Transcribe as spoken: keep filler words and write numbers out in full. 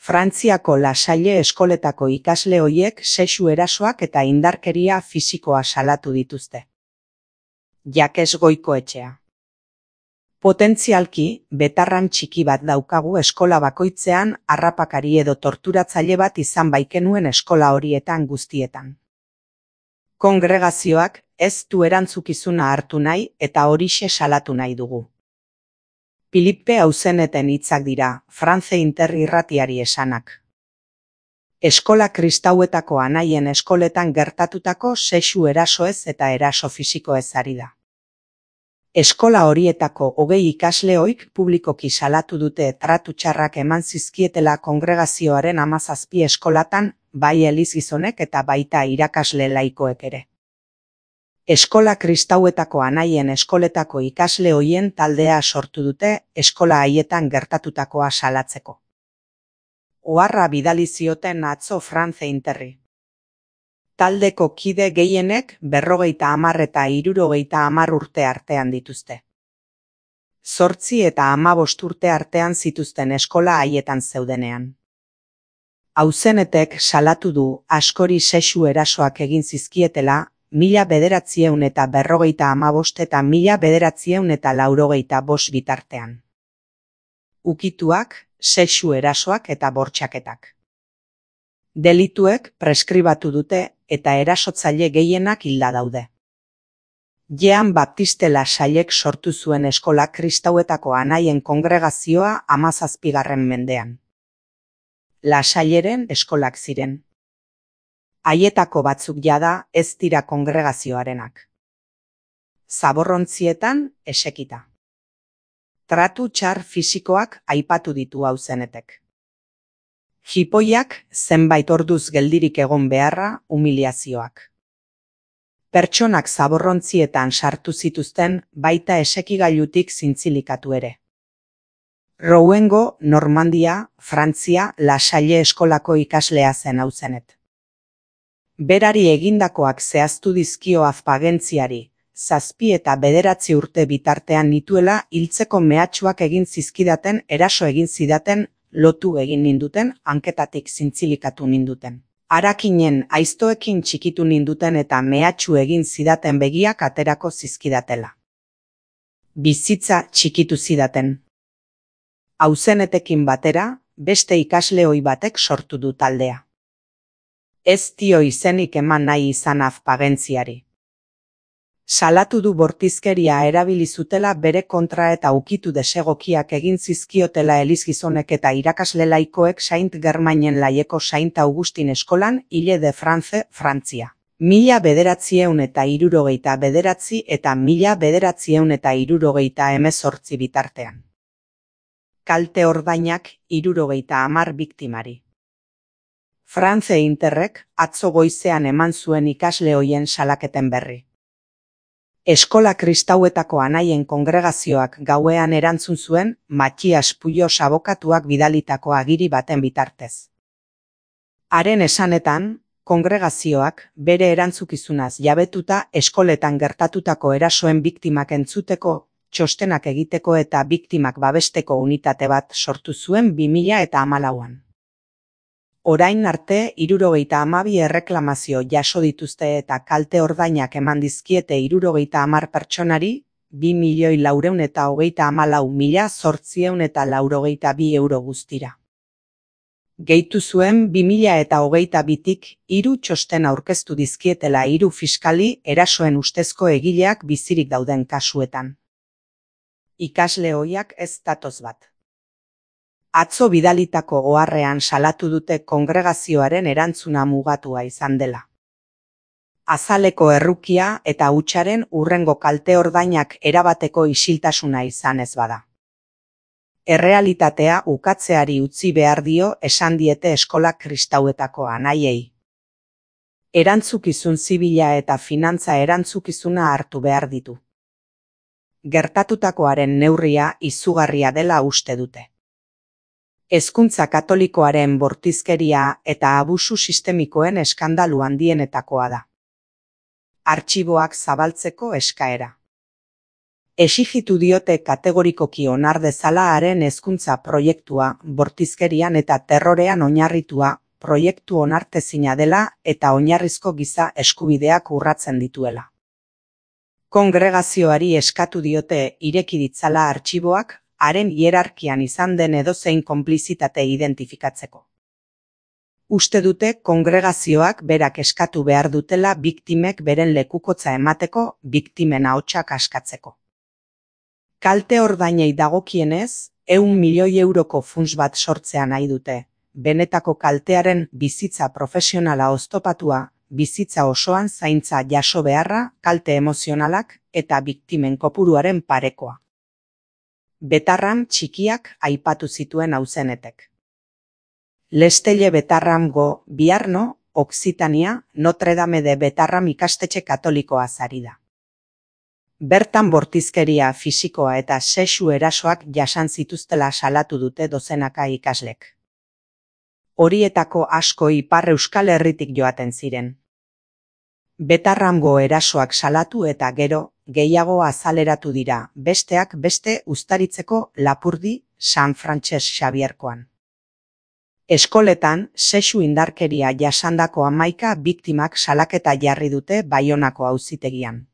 Frantziako La Salle eskoletako ikasle hoiek sexu erasoak eta indarkeria fisikoa salatu dituzte. Jakes Goikoetxea. Potentzialki, betarran txiki bat daukagu eskola bakoitzean harrapakari edo torturatzaile bat izan baikenuen eskola horietan guztietan. Kongregazioak ez du erantzukizuna hartu nahi eta horixe salatu nahi dugu. Filipe Auzeneten hitzak dira, France Inter irratiari esanak. Eskola kristauetako anaien eskoletan gertatutako sexu erasoez eta eraso fisikoez ari da. Eskola horietako hogei ikasleoik publikoki salatu dute tratu txarrak eman zizkietela kongregazioaren hamazazpi eskolatan, bai elizgizonek eta baita irakasle laikoek ere. Eskola kristauetako anaien eskoletako ikasle hoien taldea sortu dute eskola haietan gertatutakoa salatzeko. Oharra bidali zioten atzo France Interri. Taldeko kide gehienek berrogeita hamar eta hirurogeita hamar urte artean dituzte. Zortzi eta hamabost urte artean zituzten eskola haietan zeudenean. Auzenetek salatu du askori sexu erasoak egin zizkietela, mila bederatziehun eta berrogeita hamabost eta mila bederatziehun eta laurogeita bost bitartean. Ukituak, sexu erasoak eta bortxaketak. Delituek preskribatu dute eta erasotzaile gehienak hilda daude. Jean Baptiste La Sallek sortu zuen eskola kristauetako anaien kongregazioa hamazazpigarren mendean. La Salleren eskolak ziren. Haietako batzuk jada ez dira kongregazioarenak. Zaborrontzietan esekita. Tratu txar fisikoak aipatu ditu Auzenetek. Jipoiak zenbait orduz geldirik egon beharra humiliazioak. Pertsonak zaborrontzietan sartu zituzten baita esekigailutik zintzilikatu ere. Rouengo, Normandia, Frantzia, La Salle eskolako ikaslea zen Auzenet. Berari egindakoak zehaztu dizkio azpagentziari, zazpi eta bederatzi urte bitartean nituela hiltzeko mehatxuak egin zizkidaten eraso egin zidaten, lotu egin ninduten, hanketatik zintzilikatu ninduten. Harakinen aiztoekin txikitu ninduten eta mehatxu egin zidaten begiak aterako zizkidatela. Bizitza txikitu zidaten. Auzenetekin batera, beste ikasle ohi batek sortu du taldea. Ez dio izenik eman nahi izan azpagentziari. Salatu du bortizkeria erabili zutela bere kontra eta ukitu desegokiak egin zizkiotela elizgizonek eta irakasle laikoek Saint Germainen laieko Saint Augustin eskolan Ile de France, Frantzia. Mila bederatzieun eta hirurogeita bederatzi eta mila bederatzieun eta hirurogeita hemezortzi bitartean. Kalte ordainak hirurogeita hamar biktimari. France Interrek atzo goizean eman zuen ikasle hoien salaketen berri. Eskola kristauetako anaien kongregazioak gauean erantzun zuen Matias Puyos abokatuak bidalitako agiri baten bitartez. Haren esanetan, kongregazioak bere erantzukizunaz jabetuta eskoletan gertatutako erasoen biktimak entzuteko, txostenak egiteko eta biktimak babesteko unitate bat sortu zuen bi mila eta hamalauan. Orain arte hirurogeita hamabi erreklamazio jaso dituzte eta kalte ordainak eman dizkiete hirurogeita hamar pertsonari, bi milioi laurehun eta hogeita hamalau mila zortziehun eta laurogeita bi euro guztira. Gehitu zuen bi mila eta hogeita bitik hiru txosten aurkeztu dizkietela hiru fiskali erasoen ustezko egileak bizirik dauden kasuetan. Ikasle ohiak ez datoz bat. Atzo bidalitako oharrean salatu dute kongregazioaren erantzuna mugatua izan dela. Azaleko errukia eta hutsaren hurrengo kalte ordainak erabateko isiltasuna izan ez bada. Errealitatea ukatzeari utzi behar dio esan diete eskola kristauetako anaiei. Erantzukizun zibila eta finantza erantzukizuna hartu behar ditu. Gertatutakoaren neurria izugarria dela uste dute. Hezkuntza katolikoaren bortizkeria eta abusu sistemikoen eskandalu handienetakoa da. Artxiboak zabaltzeko eskaera. Exijitu diote kategorikoki onar dezala haren hezkuntza proiektua bortizkerian eta terrorean oinarritua proiektu onartezina dela eta oinarrizko giza eskubideak urratzen dituela. Kongregazioari eskatu diote ireki ditzala artxiboak haren hierarkian izan den edozein konplizitate identifikatzeko. Uste dute kongregazioak berak eskatu behar dutela biktimek beren lekukotza emateko biktimen ahotsak askatzeko. Kalte ordainei dagokienez, ehun milioi euroko funts bat sortzea nahi dute, benetako kaltearen bizitza profesionala oztopatua, bizitza osoan zaintza jaso beharra, kalte emozionalak eta biktimen kopuruaren parekoa. Betarram txikiak aipatu zituen auzenetek. Lestelle Betarramgo Biarno, Occitania, Notre Dame de Betarram ikastetxe katolikoa ari da. Bertan bortizkeria fisikoa eta sexu erasoak jasan zituztela salatu dute dozenaka ikaslek. Horietako asko Ipar Euskal Herritik joaten ziren. Betarramgo erasoak salatu eta gero, gehiago azaleratu dira, besteak beste Uztaritzeko Lapurdi San Frantses Xabierkoan. Eskoletan, sexu indarkeria jasandako hamaika biktimak salaketa jarri dute Baionako auzitegian.